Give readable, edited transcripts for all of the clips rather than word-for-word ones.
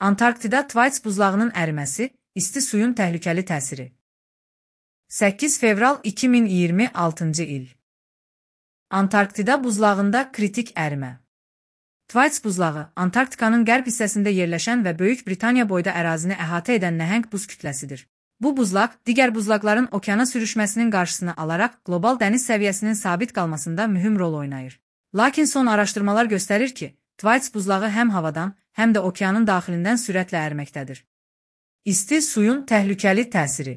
Antarktida Thwaites buzlağının əriməsi, isti suyun təhlükəli təsiri. 8 fevral 2026 il. Antarktida buzlağında kritik ərimə. Thwaites buzlağı, Antarktikanın qərb hissəsində yerləşən və Böyük Britaniya boyda ərazini əhatə edən nəhəng buz kütləsidir. Bu buzlaq, digər buzlaqların okeana sürüşməsinin qarşısını alaraq qlobal dəniz səviyyəsinin sabit qalmasında mühüm rol oynayır. Lakin son araşdırmalar göstərir ki, Thwaites buzlağı həm havadan, həm də okeanın daxilindən sürətlə əriməkdədir. İsti suyun təhlükəli təsiri.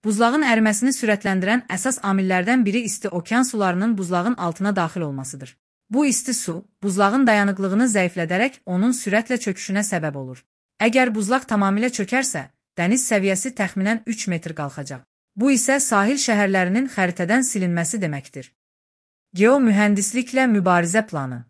Buzlağın əriməsini sürətləndirən əsas amillərdən biri isti okean sularının buzlağın altına daxil olmasıdır. Bu isti su, buzlağın dayanıqlığını zəiflədərək onun sürətlə çöküşünə səbəb olur. Əgər buzlaq tamamilə çökərsə, dəniz səviyyəsi təxminən 3 metr qalxacaq. Bu isə sahil şəhərlərinin xəritədən silinməsi deməkdir. Geomühəndisliklə mübarizə planı.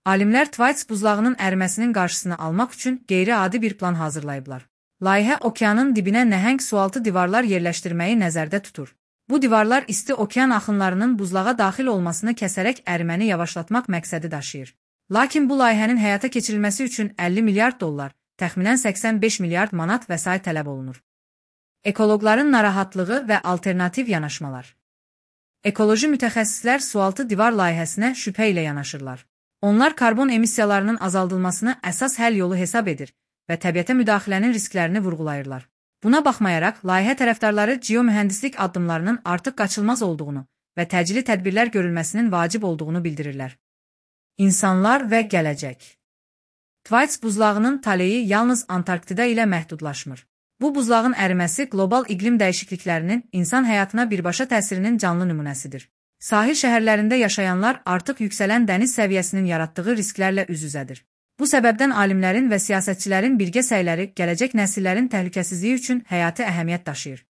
Alimlər Thwaites buzlağının əriməsinin qarşısını almaq üçün qeyri-adi bir plan hazırlayıblar. Layihə okeanın dibinə nəhəng sualtı divarlar yerləşdirməyi nəzərdə tutur. Bu divarlar isti okean axınlarının buzlağa daxil olmasını kəsərək əriməni yavaşlatmaq məqsədi daşıyır. Lakin bu layihənin həyata keçirilməsi üçün 50 milyard dollar, təxminən 85 milyard manat vəsait tələb olunur. Ekoloqların narahatlığı və alternativ yanaşmalar. Ekoloji mütəxəssislər sualtı divar layihəsinə şübhə ilə yanaşırlar. Onlar karbon emissiyalarının azaldılmasını əsas həll yolu hesab edir və təbiətə müdaxilənin risklərini vurğulayırlar. Buna baxmayaraq, layihə tərəfdarları geomühəndislik addımlarının artıq qaçılmaz olduğunu və təcili tədbirlər görülməsinin vacib olduğunu bildirirlər. İnsanlar və gələcək. Thwaites buzlağının taleyi yalnız Antarktida ilə məhdudlaşmır. Bu buzlağın əriməsi qlobal iqlim dəyişikliklərinin insan həyatına birbaşa təsirinin canlı nümunəsidir. Sahil şəhərlərində yaşayanlar artıq yüksələn dəniz səviyyəsinin yaratdığı risklərlə üz-üzədir. Bu səbəbdən alimlərin və siyasətçilərin birgə səyləri gələcək nəsillərin təhlükəsizliyi üçün həyati əhəmiyyət daşıyır.